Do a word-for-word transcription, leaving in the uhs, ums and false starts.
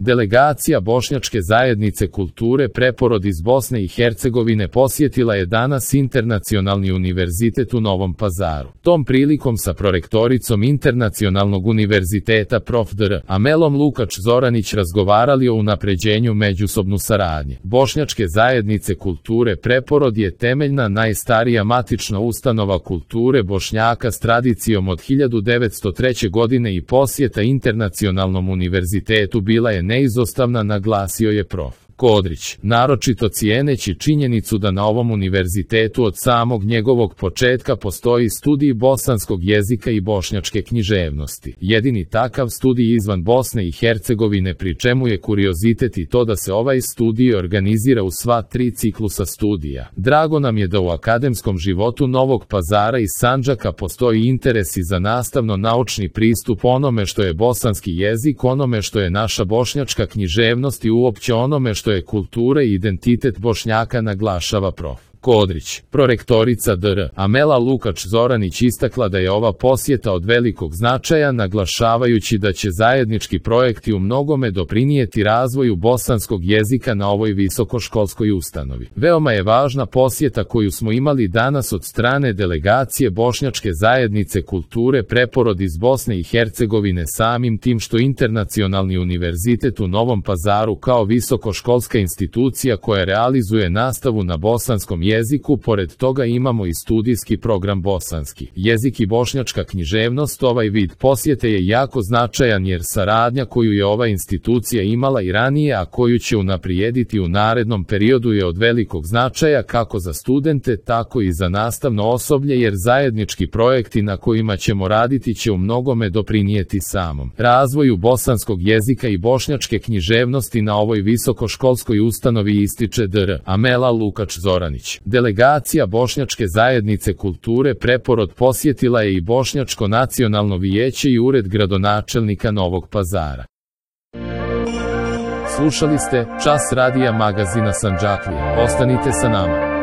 Delegacija Bošnjačke zajednice kulture Preporod iz Bosne i Hercegovine posjetila je danas Internacionalni univerzitet u Novom Pazaru. Tom prilikom sa prorektoricom Internacionalnog univerziteta prof dr Amelom Lukač Zoranić razgovarali o unapređenju međusobnu saradnje. Bošnjačke zajednice kulture Preporod je temeljna najstarija matična ustanova kulture Bošnjaka s tradicijom od hiljadu devetsto treće. godine i posjeta Internacionalnom univerzitetu bila je neizostavna, naglasio je prof Kodrić, naročito cijeneći činjenicu da na ovom univerzitetu od samog njegovog početka postoji studij bosanskog jezika i bošnjačke književnosti. Jedini takav studij izvan Bosne i Hercegovine, pri čemu je kuriozitet i to da se ovaj studij organizira u sva tri ciklusa studija. Drago nam je da u akademskom životu Novog Pazara i Sandžaka postoji interes i za nastavno-naučni pristup onome što je bosanski jezik, onome što je naša bošnjačka književnost i uopće onome što što je kultura i identitet Bošnjaka, naglašava prof Kodrić. Prorektorica dr Amela Lukač Zoranić istakla da je ova posjeta od velikog značaja, naglašavajući da će zajednički projekti u mnogome doprinijeti razvoju bosanskog jezika na ovoj visokoškolskoj ustanovi. Veoma je važna posjeta koju smo imali danas od strane delegacije Bošnjačke zajednice kulture Preporod iz Bosne i Hercegovine, samim tim što Internacionalni univerzitet u Novom Pazaru kao visokoškolska institucija koja realizuje nastavu na bosanskom jeziku jeziku, pored toga imamo i studijski program bosanski jezik i bošnjačka književnost. Ovaj vid posjete je jako značajan jer saradnja koju je ova institucija imala i ranije, a koju će unaprijediti u narednom periodu, je od velikog značaja kako za studente, tako i za nastavno osoblje, jer zajednički projekti na kojima ćemo raditi će u mnogome doprinijeti samom razvoju bosanskog jezika i bošnjačke književnosti na ovoj visokoškolskoj ustanovi, ističe dr Amela Lukač Zoranić. Delegacija Bošnjačke zajednice kulture Preporod posjetila je i Bošnjačko nacionalno vijeće i ured gradonačelnika Novog Pazara. Slušali ste Čas radija magazina Sandžaklija. Ostanite sa nama.